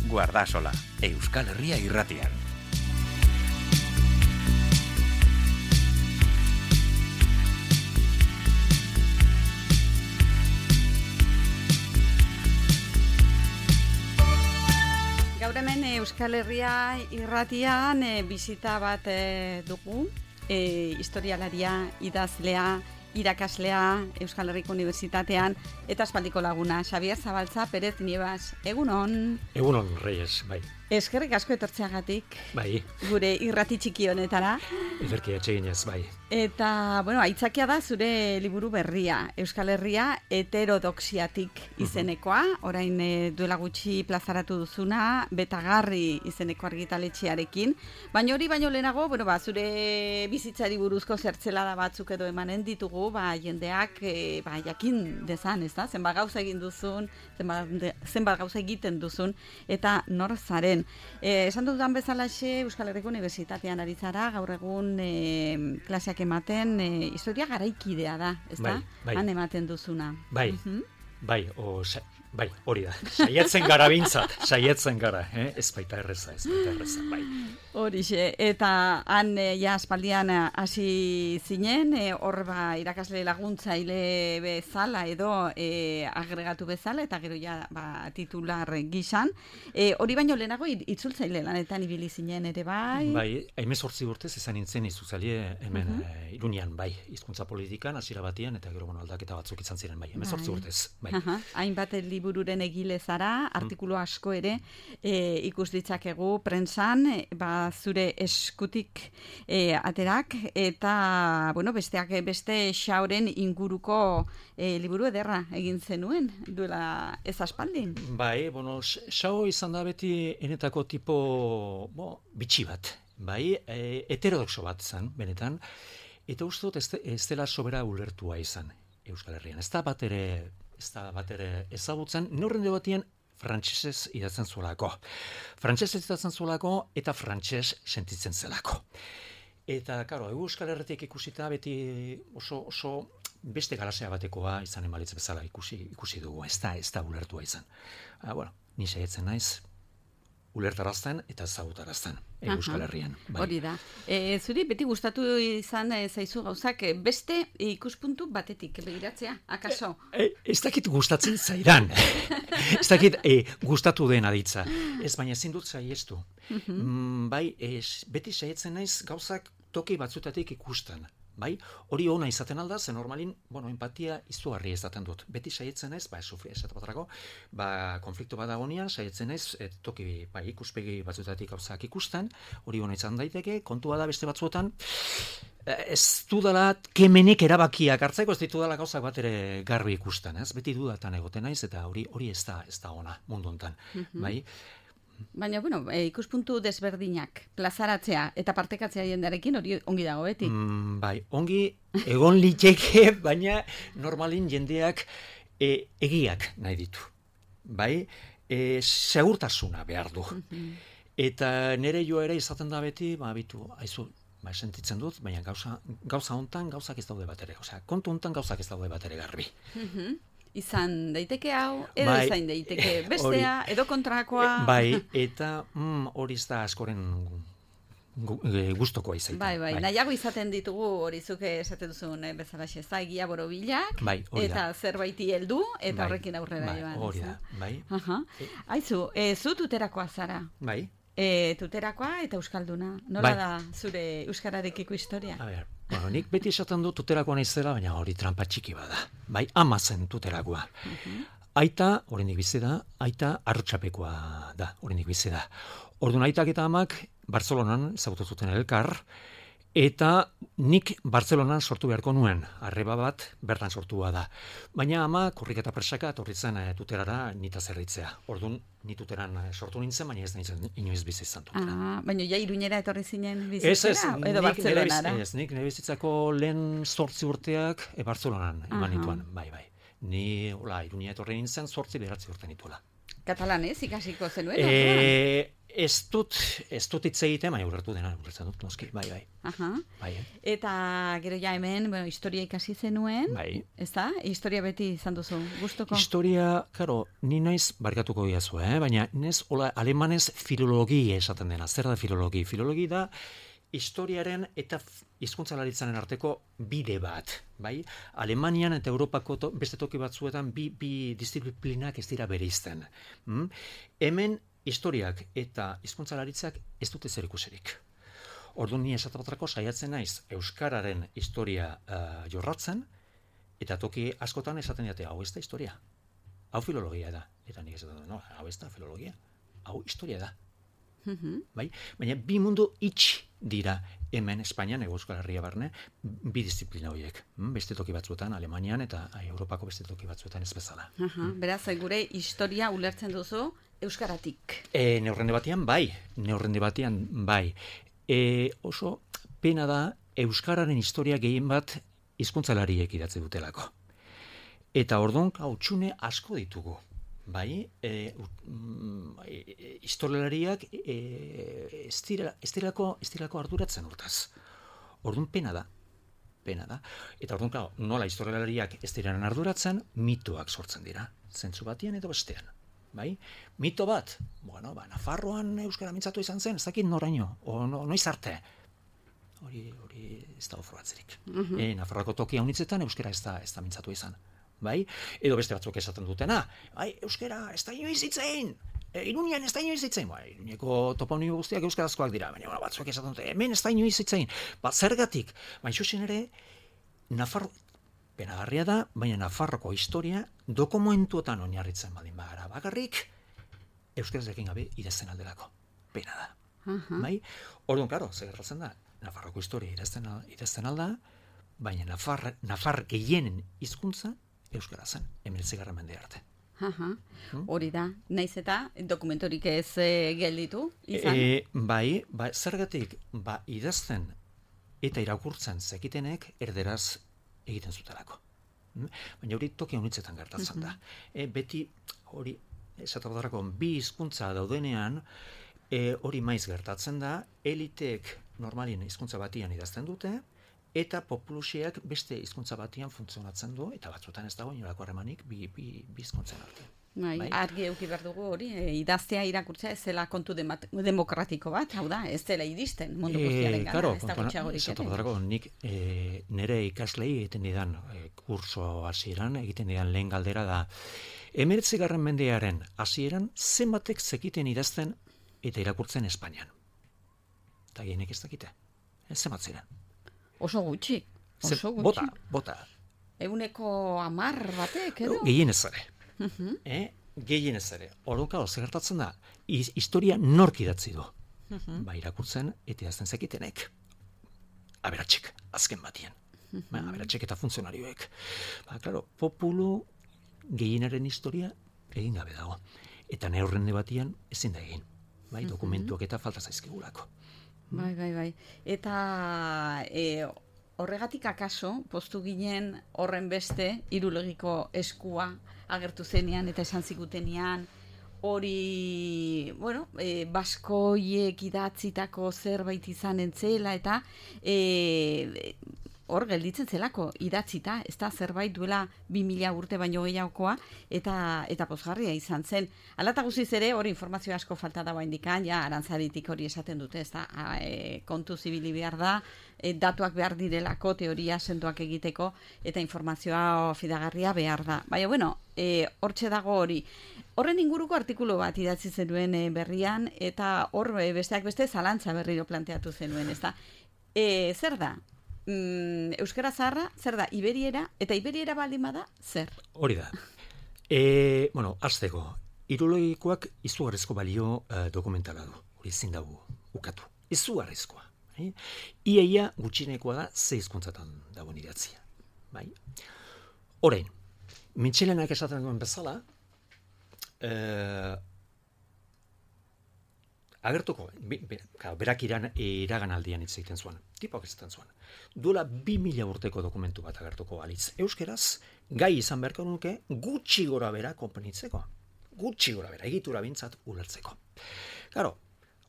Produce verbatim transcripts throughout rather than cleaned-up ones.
Guardasola, Euskal Herria irratian. Gaur hemen Euskal Herria irratian e, bizita bat e, dugu, e, historialaria, idazlea, irakaslea Euskal Herriko Unibertsitatean eta aspaldiko laguna, Xabier Zabaltza Perez Niebas. Egunon. Egunon, Reyes, bai. Eskerrik asko etortzeagatik. Bai. Gure irrati txiki honetara. Ederki etxeginez, bai. Eta, bueno, aitzakia da zure liburu berria, Euskal Herria heterodoxiatik izenekoa, orain e, duela gutxi plazaratu duzuna, Betagarri izeneko argitaletxearekin, baina hori baino lehenago, bueno, ba, zure bizitzari buruzko zertzelada batzuk edo emanen ditugu, ba, jendeak e, ba, jakin dezan, ez da? Zenbat gauza egin duzun, zenbat, zenbat gauza egiten duzun, eta nor zaren. E, esan dudan bezalaxe, Euskal Herriko Unibertsitatean ari zara, gaur egun e, klaseak ematen, e, historia garaikidea da, ez da? Bai, bai. Han ematen duzuna. Bai, uh-huh. bai, o, sa, bai, hori da. Saietzen gara bintzat, saietzen gara, eh? Ez baita erreza, ez baita erreza, bai. Horixe, eta han e, ja aspaldian hasi zinen, e, hor ba irakasle laguntzaile bezala edo e, agregatu bezala, eta gero ja ba, titular gisan. E, hori baino lehenago itzultzaile lanetan ibili zinen ere bai? Bai, hemezortzi urtez izan nintzen itzultzaile hemen uh-huh. e, Iruñean, bai, hizkuntza politikan, hasiera batean, eta gero bueno, aldaketa batzuk izan ziren, bai, hemezortzi bai. urtez, bai. Uh-huh. Hainbat libururen egile zara, artikulu asko ere e, ikus ditzakegu prentsan, e, ba zure eskutik e, aterak, eta bueno, besteak beste Xaoren inguruko e, liburu ederra egin zenuen, duela ez aspaldin. Bai, bueno, Xao izan da beti enetako tipo, bo, bitxi bat, bai, e, heterodoxo bat zen, benetan, eta uste dut ez, ez dela sobera ulertua izan Euskal Herrian. Ez da bat ere, ez da bat ere ezagutzen, neurrende batien frantsesez idatzen zuelako. Frantsesez idatzen zuelako eta frantses sentitzen zelako. Eta, karo, Euskal Herritik ikusita beti oso, oso beste galasea batekoa izan emalitz bezala ikusi, ikusi dugu, ez da, ez da ulertua izan. Ah, bueno, ni saiatzen naiz, ulertarazten eta ezagutarazten Euskal Herrian. Bai. Hori da. E, zuri beti gustatu izan e, zaizu gauzak e, beste ikuspuntu batetik begiratzea, akaso? E, e, ez dakit gustatzen zaidan. Ez dakit e, gustatu den aditza. Ez baina ezin dut saiestu. Uh-huh. Mm, bai, ez, beti saietzen naiz gauzak toki batzutatik ikusten. Bai, hori ona izaten alda, ze normalin, bueno, empatia izugarri izaten dut. Beti saietzen naiz, ba, sufri esate baterako, ba, konflikto bat dagoenean, saietzen naiz, et, toki, ba, ikuspegi batzutatik gauzak ikusten, hori ona izan daiteke, kontua da beste batzuetan, ez dudala kemenik erabakiak hartzeko, ez ditu dela gauzak bat ere garbi ikusten, ez? Beti dudatan egoten naiz, eta hori hori ez da, ez da ona, mundu hontan, uh-huh. bai? Baina, bueno, e, ikuspuntu desberdinak, plazaratzea eta partekatzea jendarekin hori ongi dago, beti? Mm, bai, ongi egon liteke, baina normalin jendeak e, egiak nahi ditu. Bai, e, segurtasuna behar du. Uh-huh. Eta nire jo ere izaten da beti, ba, bitu, haizu, ba, sentitzen dut, baina gauza, gauza hontan gauzak ez daude bat ere. Osea, kontu hontan gauzak ez daude bat ere garbi. Uh-huh. Izan daiteke hau, edo bai, izan daiteke bestea, ori, edo kontrakoa. Bai, eta mm, hori ez da askoren gustokoa izaiten. Bai, bai, bai. Nahiago izaten ditugu hori zuke esaten duzun eh, bezalaxe zaigia borobilak, bai, eta zerbaiti heldu eta bai, horrekin aurrera bai, joan. Hori da, bai. Aha. E, Aizu, e, zu tuterakoa zara. Bai. E, tuterakoa eta euskalduna. Nola bai. Da zure euskararekiko historia? A ber, bueno, nik beti esaten du tuterakoa naizela, baina hori trampa txiki bada. Bai, ama zen tuterakoa. Uh-huh. Aita, oraindik bizi da, aita arrotxapekoa da, oraindik bizi da. Orduan aitak eta amak Bartzelonan ezagutu zuten elkar, eta nik Bartzelonan sortu beharko nuen, arreba bat bertan sortua da. Baina ama korriketa presaka etorri zen e, tuterara nita zerritzea. Orduan ni tuteran sortu nintzen, baina ez nintzen inoiz bizi izan tutera. Ah, baina ja Iruñera etorri zinen bizitzera? Ez, ez, edo Bartzelonara? Ez, nik nire bizitzako lehen zortzi urteak e, Bartzelonan eman nituen, bai, bai. Ni, hola, Iruñera etorri nintzen zortzi beratzi urte nituela. Katalanez ikasiko zenuen? E, Ez dut, ez dut hitz egiten, baina ulertu dena, ulertzen dut, noski, bai, bai. Aha. Bai, eh? Eta gero ja hemen, bueno, historia ikasi zenuen, Bai. ez da? Historia beti izan duzu, gustuko? Historia, karo, ni naiz barkatuko diazu, eh? Baina nez, hola, alemanez filologia esaten dena. Zer da filologi? Filologi da historiaren eta hizkuntzalaritzaren arteko bide bat, bai? Alemanian eta Europako to, beste toki batzuetan bi, bi disiplinak ez dira bereizten. Mm? Hemen historiak eta hizkuntzalaritzak ez dute zer ikusirik. Orduan ni esatabatrako saiatzen naiz euskararen historia uh, jorratzen, eta toki askotan esaten dute, hau ez da historia. Hau filologia da. Eta nik esaten dut, no, hau ez da filologia. Hau historia da. Mhm. Bai? Baina bi mundu itx dira hemen Espainian, ego Euskal Herria barne, bi disiplina horiek. Mm, Beste toki batzuetan, Alemanian eta Europako beste toki batzuetan ez bezala. Aha, beraz, gure historia ulertzen duzu euskaratik. E, neurrende batean bai, neurrende batean bai. E, oso pena da euskararen historia gehien bat hizkuntzalariek idatzi dutelako. Eta orduan hautsune asko ditugu. Bai, e, e, historialariak e, ez direlako ez direlako ez direlako arduratzen hortaz. Orduan pena da. Pena da. Eta orduan claro, nola historialariak ez diren arduratzen, mitoak sortzen dira, zentzu batean edo bestean. Bai? Mito bat, bueno, ba, Nafarroan euskara mintzatu izan zen, ez dakit noraino, o no, noiz arte. Hori, hori ez da ofroatzerik. Mm-hmm. E, Nafarroako toki haunitzetan euskara ez da, ez da mintzatu izan. Bai? Edo beste batzuk esaten dutena, bai, euskara ez da inoiz hitzein, e, Iruñean ez da inoiz hitzein, bai, Iruñeko toponimo guztiak euskarazkoak dira, baina bueno, batzuk esaten dute, hemen ez da inoiz hitzein, ba, zergatik, baina xuxen ere, Nafarro, penagarria da, baina Nafarroko historia dokumentuetan oinarritzen badin bagara bakarrik, euskarazekin gabe idazten aldelako. Pena da. Aha. Bai? Orduan, karo, zer gertatzen da, Nafarroko historia idazten, idazten alda, baina Nafar, Nafar gehienen hizkuntza euskara zen, hemeretzigarren mende arte. Aha. Hori da, naiz eta dokumentorik ez e, gelditu izan. E, bai, ba, zergatik, ba, idazten eta irakurtzen zekitenek erderaz egiten zutelako. Mm? Baina hori toki honitzetan gertatzen da. E, beti hori, esatabadarako, bi hizkuntza daudenean, e, hori maiz gertatzen da, eliteek normalien hizkuntza batian idazten dute, eta populusiak beste hizkuntza batian funtzionatzen du, eta batzuetan ez dago inolako harremanik bi, bi, bi hizkuntzen artean. Bai, Bai. argi eduki behar dugu hori, e, idaztea irakurtzea ez zela kontu demat- demokratiko bat, hau da, ez dela iristen mundu guztiaren gana, Claro, ez da gutxiagorik ere. kontuan, nik e, nire ikaslei egiten didan e, kurso hasieran, egiten didan lehen galdera da, hemeretzigarren mendearen hasieran zenbatek zekiten idazten eta irakurtzen Espainian. Eta gehienek ez dakite. Ez zenbat ziren. Oso gutxi, Ze- oso gutxi. Bota, bota. Eguneko amar batek, edo? Gehienez ere. Eh? Gehienez ere. Orduan, zer gertatzen da, Hiz- historia nork idatzi du. Ba, irakurtzen eta idazten zekitenek. Aberatxek, azken batien. Ba, aberatxek eta funtzionarioek. Ba, claro, populu gehienaren historia egin gabe dago. Eta neurrende batian ezin da egin. Bai, dokumentuak eta falta zaizkigulako. Bai, bai, bai. Eta e, horregatik akaso, postu ginen horren beste, irulogiko eskua agertu zenean eta esan zigutenean, hori, bueno, e, baskoiek idatzitako zerbait izan entzela, eta e, hor gelditzen zelako idatzita, ez da zerbait duela bi mila urte baino gehiagokoa, eta eta pozgarria izan zen. Hala eta guztiz ere, hori informazio asko falta dago indikan, ja, arantzaditik hori esaten dute, ez da, a, e, kontu zibili behar da, e, datuak behar direlako, teoria sendoak egiteko, eta informazioa fidagarria behar da. Baina, bueno, e, hortxe dago hori. Horren inguruko artikulu bat idatzi zenuen e, berrian, eta hor e, besteak beste zalantza berriro planteatu zenuen, ez da. E, zer da? Mm, euskara zaharra, zer da, iberiera, eta iberiera baldin bada, zer? Hori da. E, bueno, azteko, irologikoak izugarrizko balio uh, dokumentala du. Hori ezin dugu ukatu. Izugarrizkoa. Bai? Iaia gutxinekoa da ze hizkuntzatan dagoen idatzia. Bai? Orain, Mitxelenak esaten duen bezala, uh, agertuko, be, be, berak iran, iragan aldian hitz egiten zuen, tipoak ezaten zuen. Duela bi mila urteko dokumentu bat agertuko balitz. Euskeraz, gai izan beharko nuke gutxi gora bera konponitzeko. Gutxi gora bera, egitura bintzat ulertzeko. Claro,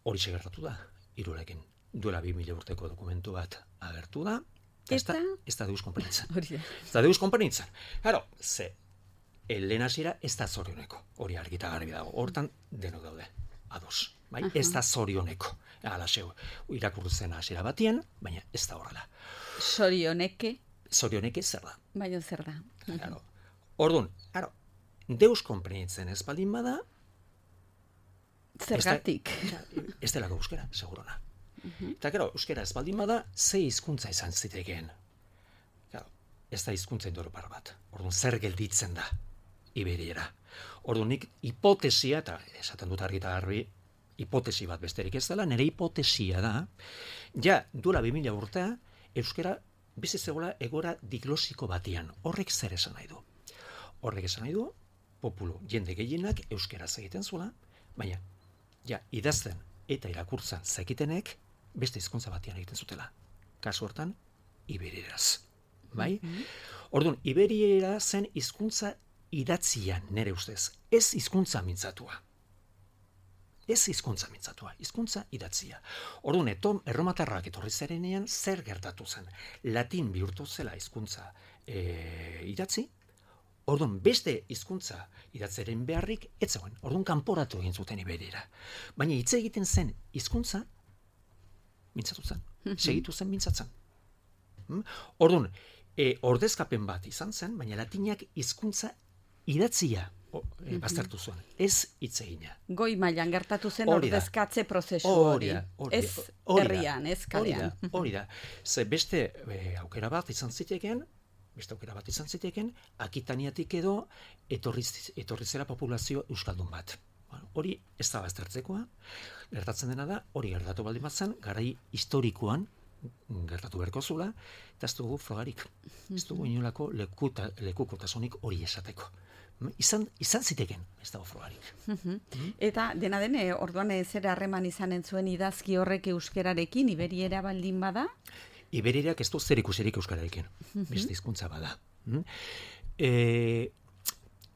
hori gertatu da, Irulekin. Duela bi mila urteko dokumentu bat agertu da, Eta? ez da deus konpenitzen. Hori da. Ez da deus konpenitzen. Claro, ze, lehen hasiera ez da zorioneko, hori argita garbi dago, hortan denok daude, ados. Bai? Uh-huh. Ez da zorioneko, alaxeu, irakurtzen hasiera batien, baina ez da horrela. Zorioneke? Zorioneke zer da. Baina zer da. Claro. Orduan, claro, deus konpenitzen ez baldin bada, zergatik. Ez delako euskera, segurona. Uh-huh. Eta, gero, euskera ez baldin bada, ze hizkuntza izan zitekeen. Claro, ez da hizkuntza indorpar bat. Orduan, zer gelditzen da, Iberiera. Orduan, nik hipotesia, eta esaten dut argi eta garbi, hipotesi bat besterik ez dela, nire hipotesia da, ja, duela bi mila urtea, euskera bizi zegoela egora diglosiko batian. Horrek zer esan nahi du? Horrek esan nahi du, populu, jende gehienak euskeraz egiten zuela, baina, ja, idazten eta irakurtzen zekitenek, beste hizkuntza batian egiten zutela. Kasu hortan, iberieraz. Bai? Mm-hmm. Orduan, iberiera zen hizkuntza idatzian, nere ustez. Ez hizkuntza mintzatua. Ez hizkuntza mintzatua, hizkuntza idatzia. Orduan, etom, erromatarrak etorri zerenean, zer gertatu zen? Latin bihurtu zela hizkuntza e, idatzi, orduan, beste hizkuntza idatzeren beharrik, ez zegoen. Orduan, kanporatu egin zuten iberiera. Baina hitz egiten zen hizkuntza mintzatu zen. Segitu zen mintzatzen. Hmm? Orduan, e, ordezkapen bat izan zen, baina latinak hizkuntza idatzia o, e, baztertu zuen. Ez hitz egina. Goi mailan gertatu zen Hori da. ordezkatze prozesu hori. Hori da, hori Ez da, hori da. herrian, ez kalean. Hori da, hori da. Ze beste e, aukera bat izan zitekeen, beste aukera bat izan zitekeen, Akitaniatik edo etorri, etorri zera populazio euskaldun bat. Bueno, hori ez da baztertzekoa, gertatzen dena da, hori gertatu baldin bat zen, garai historikoan gertatu beharko zula, eta ez dugu frogarik. Ez dugu inolako lekuta, lekukotasunik hori esateko. Izan, izan ziteken, ez dago frogarik. Mm-hmm. Eta dena den, eh, orduan ez zer harreman izanen zuen idazki horrek euskerarekin, iberiera baldin bada? Iberierak ez du zer ikusirik euskararekin, beste hizkuntza bada. Mm? E,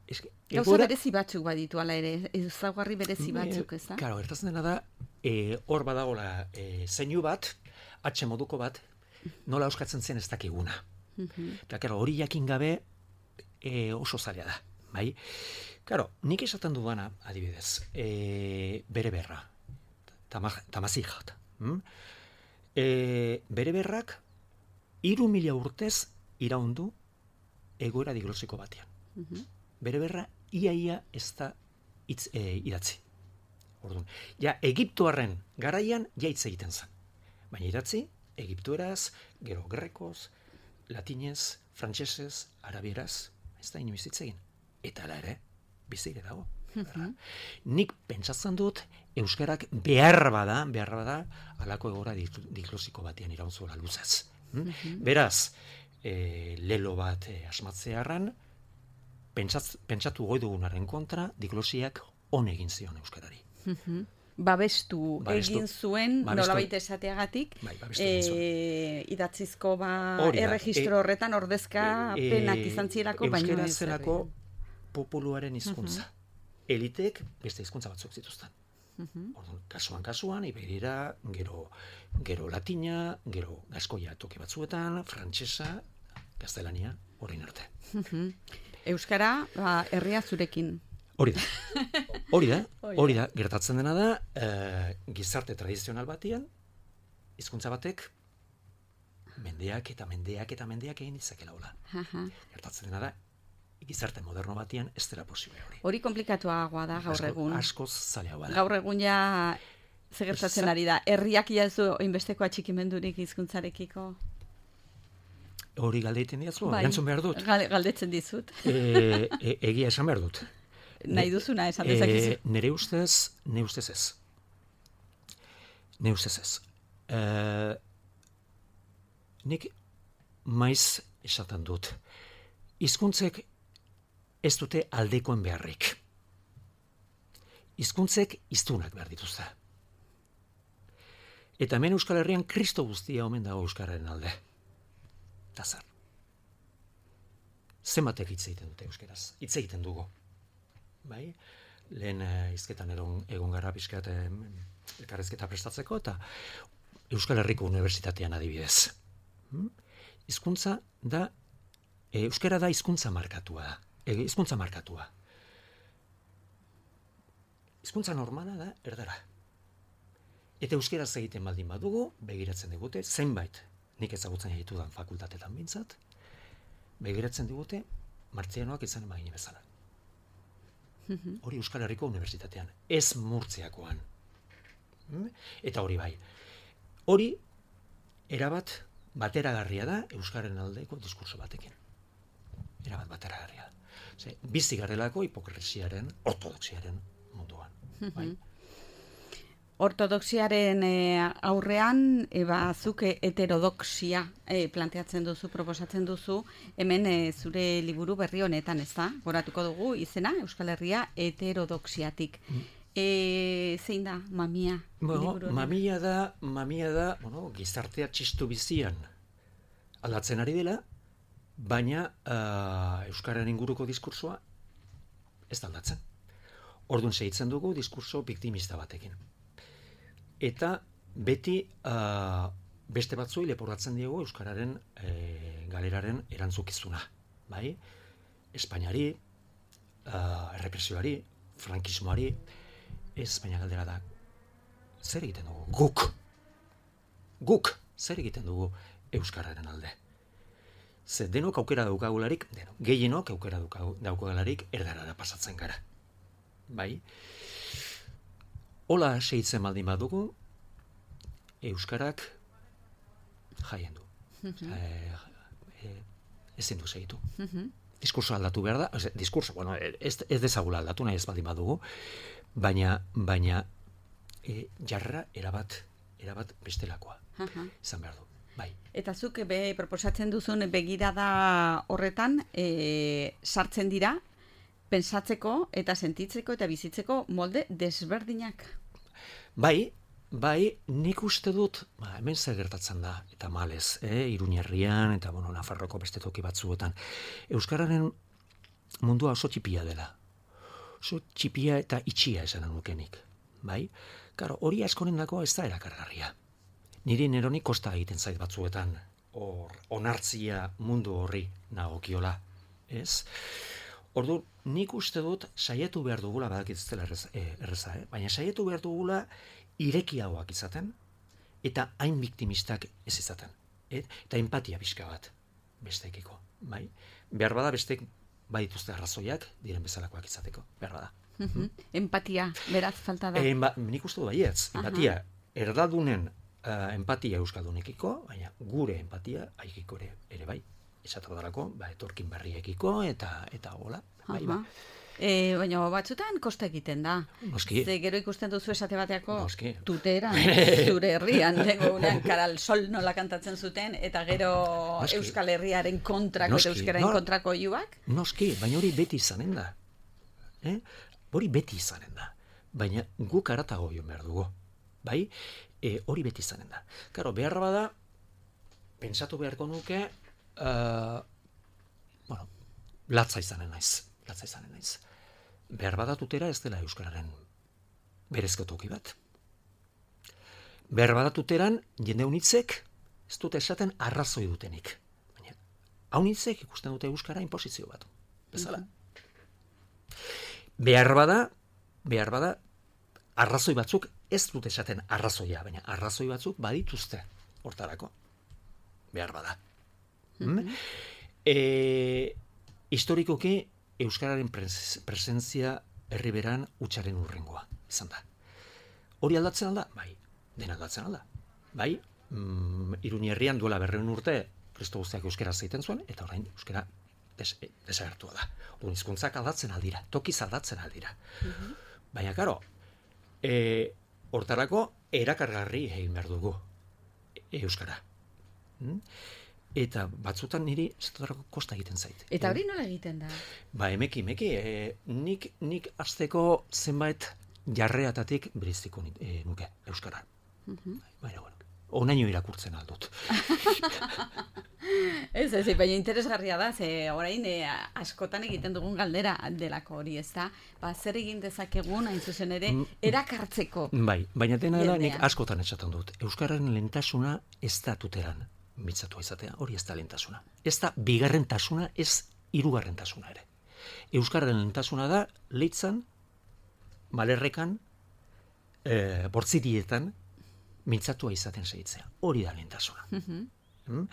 eske, Gauza egora, berezi batzuk baditu ala ere, ezaugarri berezi batzuk, ez da? Claro, gertatzen dena da, e, hor badagola e, zeinu bat, atxe moduko bat, nola euskatzen zen ez dakiguna. Eta, claro, hori jakin gabe e, oso zaila da, bai? Claro, nik esaten dudana, adibidez, e, bere berra, tamazijat, hm? e, bere berrak, hiru mila urtez iraundu egoera diglosiko batean. Bere berra, iaia ez da hitz e, idatzi. Orduan, ja, Egiptoarren garaian ja hitz egiten zen. Baina idatzi, egiptueraz, gero grekoz, latinez, frantsesez, arabieraz, ez da inoiz hitz egin. Eta ala ere, bizire dago. Nik pentsatzen dut, euskarak behar bada, behar bada, alako egora diglosiko batean iraunzuela luzez. Beraz, e, lelo bat e, asmatzearran, pentsat, pentsatu goi dugunaren kontra, diglosiak on egin zion euskarari. Babestu, Babestu. egin zuen, Babestu. nolabait esateagatik, Bai, babestu egin zuen. e, idatzizko ba, Hori da, erregistro e- horretan ordezkapenak E, izan zielako, baina euskara ez zelako populuaren hizkuntza. Elitek beste hizkuntza batzuk zituzten. Orduan, kasuan kasuan, iberiera, gero, gero latina, gero gaskoia toki batzuetan, frantsesa, gaztelania, horrein arte. Euskara, ba, herria zurekin. Hori da. Hori da, hori da, gertatzen dena da, eh, gizarte tradizional batian, hizkuntza batek, mendeak eta mendeak eta mendeak egin ditzakela hola. Gertatzen dena da, gizarte moderno batian ez dela posible hori. Hori komplikatuagoa da gaur Asko- egun. Askoz zailagoa da. Gaur egun ja ze gertatzen ari da. Herriak ja ez du inbesteko atxikimendurik hizkuntzarekiko. Hori galdeiten diazu, Bai, erantzun behar dut. gal- galdetzen dizut. E, e, egia esan behar dut. Nahi duzuna esan dezakezu. E, nere ustez, ne ustez ez. Ne ustez ez. E, nik maiz esaten dut. Hizkuntzek ez dute aldekoen beharrik. Hizkuntzek hiztunak behar dituzte. Eta hemen Euskal Herrian Kristo guztia omen dago euskararen alde. Eta zer. Zenbatek hitz egiten dute euskeraz. Hitz egiten dugu. Bai? lehen hizketan egon, egon gara pixkat elkarrezketa prestatzeko, eta Euskal Herriko Unibertsitatean adibidez. Hmm? Hizkuntza da, e, euskara da hizkuntza markatua da. E, hizkuntza markatua. Hizkuntza normala da erdara. Eta euskaraz egiten baldin badugu, begiratzen digute, zenbait, nik ezagutzen ditudan fakultatetan bintzat, begiratzen digute, martzianoak izan emagine bezala. Hori Euskal Herriko Unibertsitatean, ez Murtziakoan. Eta hori bai. Hori, erabat bateragarria da Euskararen aldeko diskurso batekin. Erabat bateragarria da. Ze, bizi garelako hipokresiaren, ortodoxiaren munduan. Bai? Ortodoxiaren e, aurrean, eba, zuk heterodoxia e, planteatzen duzu, proposatzen duzu, hemen e, zure liburu berri honetan, ez da? Goratuko dugu izena, Euskal Herria heterodoxiatik. Mm. E, zein da, mamia? Bueno, mamia da, mamia da, bueno, gizartea txistu bizian aldatzen ari dela, baina uh, Euskararen inguruko diskursoa ez da aldatzen. Orduan segitzen dugu diskurso biktimista batekin. Eta beti uh, beste batzuei leporatzen diegu Euskararen e, galeraren erantzukizuna. Bai? Espainiari, uh, errepresioari, frankismoari, ez baina galdera da, zer egiten dugu? Guk! Guk! Zer egiten dugu Euskararen alde? Ze denok aukera daukagularik, denok, gehienok aukera daukagularik erdarara pasatzen gara. Bai? Hola segitzen baldin badugu, Euskarak jaien du. Mm-hmm. e, e, ezin du segitu. Mm-hmm. Diskurso aldatu behar da, ez, diskurso, bueno, ez, ez dezagula aldatu nahi ez baldin badugu, baina, baina e, jarra erabat, erabat bestelakoa. Uh-huh. Izan behar du. Bai. Eta zuk be, proposatzen duzun begirada horretan e, sartzen dira, pensatzeko eta sentitzeko eta bizitzeko molde desberdinak. Bai, bai, nik uste dut, ba, hemen zer gertatzen da, eta malez, eh, Iruñerrian, eta bueno, Nafarroko beste toki batzuetan. Euskararen mundua oso txipia dela. Oso txipia eta itxia esan nukenik. Bai? Karo, hori askoren dako ez da erakargarria. Niri neroni kosta egiten zait batzuetan, hor, onartzia mundu horri nagokiola. Ez? Ordu, nik uste dut saiatu behar dugula, badakit ez dela erreza, eh, erreza eh? baina saiatu behar dugula irekiagoak izaten, eta hain biktimistak ez izaten. Et? Eta empatia pixka bat besteekiko. Bai? Behar bada bestek badituzte arrazoiak diren bezalakoak izateko. Behar bada. Mm-hmm. Empatia, beraz falta da. E, ba, nik uste du baietz. Empatia, erdadunen uh, empatia euskaldunekiko, baina gure empatia haikiko ere, ere bai. Esatu darako, ba, etorkin barriekiko, eta eta hola. Bai, ba. E, baina batzutan kosta egiten da. Noski. Ze gero ikusten duzu esate bateako Noski. Tuteran, zure herrian, unean karal sol nola kantatzen zuten, eta gero Noski. Euskal Herriaren kontrako, Noski. eta Euskararen no, kontrako iuak. Noski, baina hori beti izanen da. Eh? Hori beti izanen da. Baina guk aratago joan behar dugu. Bai? E, hori beti izanen da. Karo, behar bada, pentsatu beharko nuke, uh, bueno, latza izanen naiz. Latza izanen naiz. Behar bada tutera ez dela Euskararen berezko toki bat. Behar bada tuteran, jende unitzek ez dute esaten arrazoi dutenik. Baina, haunitzek ikusten dute Euskara inposizio bat. Bezala. Behar bada, behar bada, arrazoi batzuk ez dute esaten arrazoia, baina arrazoi batzuk badituzte hortarako. Behar bada. Mm-hmm. E, historikoki, Euskararen presentzia herriberan utxaren urrengoa, izan da. Hori aldatzen alda? Bai, dena aldatzen alda. Bai, mm, Iruñerrian duela berreun urte, kristo guztiak euskara zeiten zuen, eta orain euskara des, desagertua da. Orduan hizkuntzak aldatzen aldira, tokiz aldatzen aldira. Mm-hmm. Baina, karo, e, hortarako erakargarri egin behar dugu euskara. Mm? Eta batzutan niri zetotarako kosta egiten zait. Eta hori nola egiten da? Ba, emeki, emeki, e, nik, nik azteko zenbait jarreatatik bereziko e, nuke Euskara. Mm-hmm. Baina, bueno, onaino irakurtzen aldut. Ez, ez, baina interesgarria da, ze orain e, askotan egiten dugun galdera delako hori, ez da? Ba, zer egin dezakegun, hain zuzen ere, erakartzeko. Bai, baina dena da, nik jendea. askotan esaten dut. Euskararen lehentasuna ez da tuteran mitzatua izatea, hori ez da lehentasuna. Ez da bigarrentasuna, ez hirugarrentasuna ere. Euskararen lehentasuna da, leitzan, malerrekan, e, bortzirietan, mintzatua izaten segitzea. Hori da lehentasuna. Mm?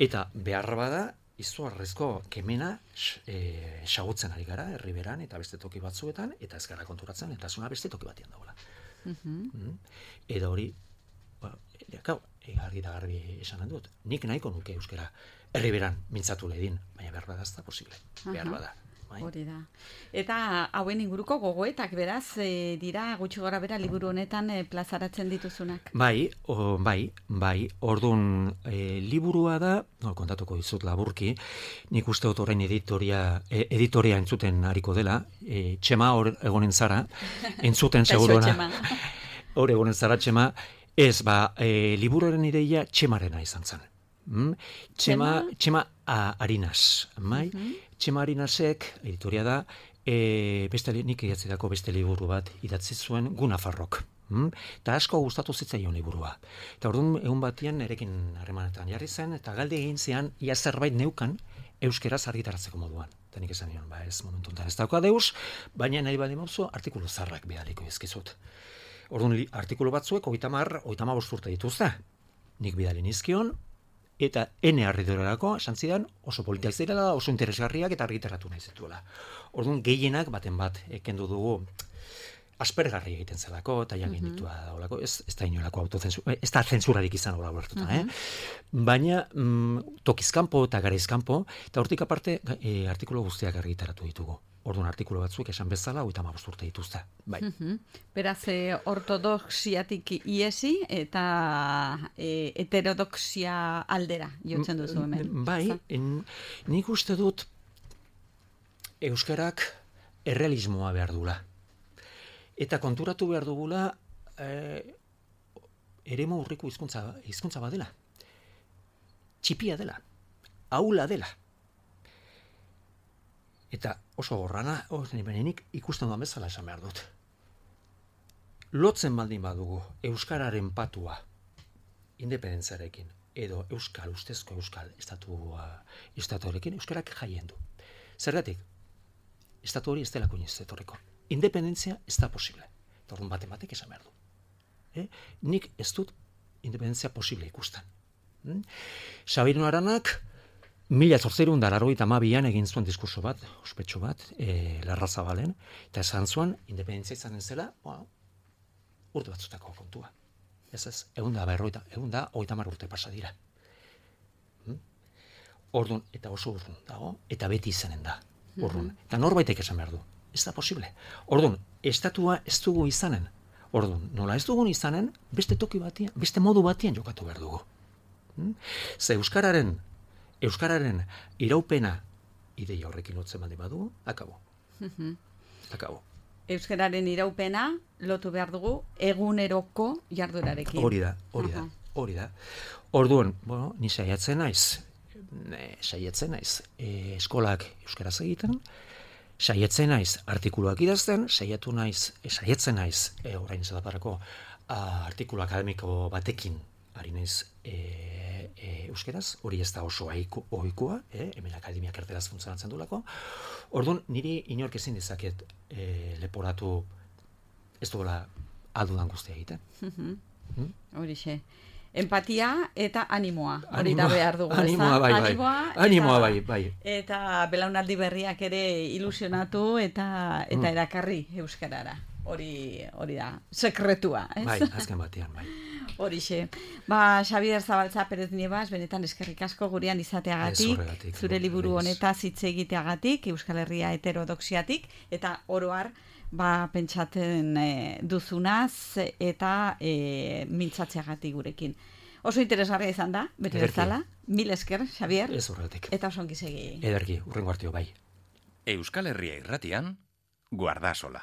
Eta behar bada, izugarrizko kemena e, xagutzen ari gara, herriberan eta beste toki batzuetan, eta ez gara konturatzen, lehentasuna beste toki batean dagoela. Mm? Eta hori, ba, gau, e, argi da garbi esan dut, nik nahiko nuke euskara herriberan mintzatu ledin, baina behar bada ez da posible, behar bada. Bai. Hori da. Eta hauen inguruko gogoetak beraz e, dira gutxi gora bera liburu honetan e, plazaratzen dituzunak. Bai, o, bai, bai. Ordun e, liburua da, no, kontatuko dizut laburki, nik uste dut orain editoria, e, editoria entzuten hariko dela, e, Txema hor egonen zara, entzuten segurona. Hor egonen zara Txema, ez ba, e, liburuaren ideia Txemarena izan zen. Mm? Txema, Txema a, Arinas, bai? Uh-huh. Txema Arinasek, editoria da, e, beste, nik idatzidako beste liburu bat idatzi zuen Guna Farrok. Mm? Eta asko gustatu zitzaion liburua. Eta orduan egun batean erekin harremanetan jarri zen, eta galde egin zean, ia zerbait neukan euskeraz argitaratzeko moduan. Eta nik esan nion, ba ez momentu enten ez dauka deus, baina nahi badi mauzu artikulu zarrak bidaliko izkizut. Orduan artikulu batzuek, oita mar, oita ma bosturte dituzte. Nik bidali nizkion, eta ene harridorarako, esan zidan, oso politiak zirela, oso interesgarriak eta argitaratu nahi zituela. Orduan, gehienak baten bat ekendu dugu aspergarri egiten zelako, eta jangin uh-huh. ditua daulako, ez, ez da inolako autozensura, ez da zensurarik izan hola bertuta, uh-huh. eh? Baina mm, tokizkanpo eta garaizkanpo, eta hortik aparte e, artikulu guztiak argitaratu ditugu. Orduan artikulu batzuek esan bezala, hogeita hamabost urte dituzte. Bai. Uh-huh. Beraz, e, ortodoxiatik iesi eta e, heterodoxia aldera jotzen duzu hemen. Bai, en, nik uste dut euskarak errealismoa behar dula. Eta konturatu behar dugula e, eremu urriko hizkuntza hizkuntza badela. Txipia dela. Aula dela. Eta oso gorrana, nik ikusten duan bezala esan behar dut. Lotzen baldin badugu euskararen patua independentziarekin edo euskal, ustezko euskal estatua, estatuarekin euskarak jaien du. Zergatik, estatu hori ez delako inoiz etorriko. Independentzia ez da posible. Eta orduan baten batek esan behar du. Eh? Nik ez dut independentzia posible ikusten. Hmm? Sabino Aranak mila zortziehun eta laurogeita hamabian egin zuen diskurso bat, ospetsu bat, e, Larrazabalen, eta esan zuen, independentzia izanen zela, bueno, urte batzutako kontua. Ez ez, egun da, berroita, egun da, hogeita hamar urte pasa dira. Hmm? Orduan, eta oso urrun dago, eta beti izanen da, urrun. Mm-hmm. Eta norbaitek esan behar du, ez da posible. Orduan, estatua ez dugu izanen. Orduan, nola ez dugun izanen, beste toki batian, beste modu batian jokatu behar dugu. Hmm? Ze euskararen Euskararen iraupena ideia horrekin lotzen baldin badugu, akabo. Uh-huh. Akabo. Euskararen iraupena lotu behar dugu eguneroko jardurarekin. Hori da, hori da, hori da. Orduan, bueno, ni saiatzen naiz, ne, saiatzen naiz, e, eskolak euskaraz egiten, saiatzen naiz artikuluak idazten, saiatu naiz, e, saiatzen naiz, e, orain ez daparako, artikulu akademiko batekin ari naiz e, e, euskeraz, hori ez da oso ohikoa, eh? Hemen akademiak erderaz funtzionatzen dulako. Orduan, niri inork ezin dezaket e, leporatu ez duela aldudan guztia egiten. Hmm? Horixe. Empatia eta animoa, hori da behar dugu. Animoa, bai, bai. Animoa, Animoa, bai, bai. Eta belaunaldi berriak ere ilusionatu eta eta mm. erakarri euskarara. Hori, hori da, sekretua, ez? Bai, azken batean, bai. Horixe. Ba, Xabier Zabaltza Perez Niebas, benetan eskerrik asko gurean izateagatik, zure liburu honetaz hitz egiteagatik, Euskal Herria heterodoxiatik, eta oroar, ba, pentsatzen e, duzunaz eta e, mintzatzeagatik gurekin. Oso interesgarria izan da, beti bezala. Mil esker, Xabier. Ez horretik. Eta oso ongi segi. Ederki, urrengo artio, bai. Euskal Herria irratian, Guardasola.